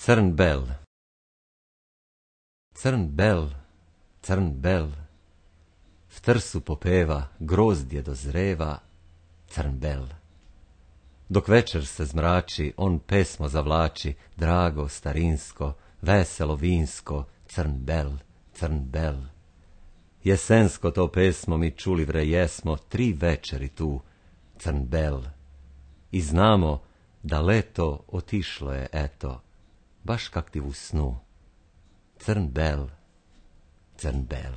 Crn bel. Crn bel, crn bel, v trsu popeva, grozdje dozreva, crn bel. Dok večer se zmrači, on pesmo zavlači, drago, starinsko, veselo, vinsko, crn bel, crn bel. Jesensko to pesmo mi čuli vre jesmo 3 večeri tu, crn bel. I znamo da leto otišlo je, eto, baš kak ti u snu. Crn bel, crn bel.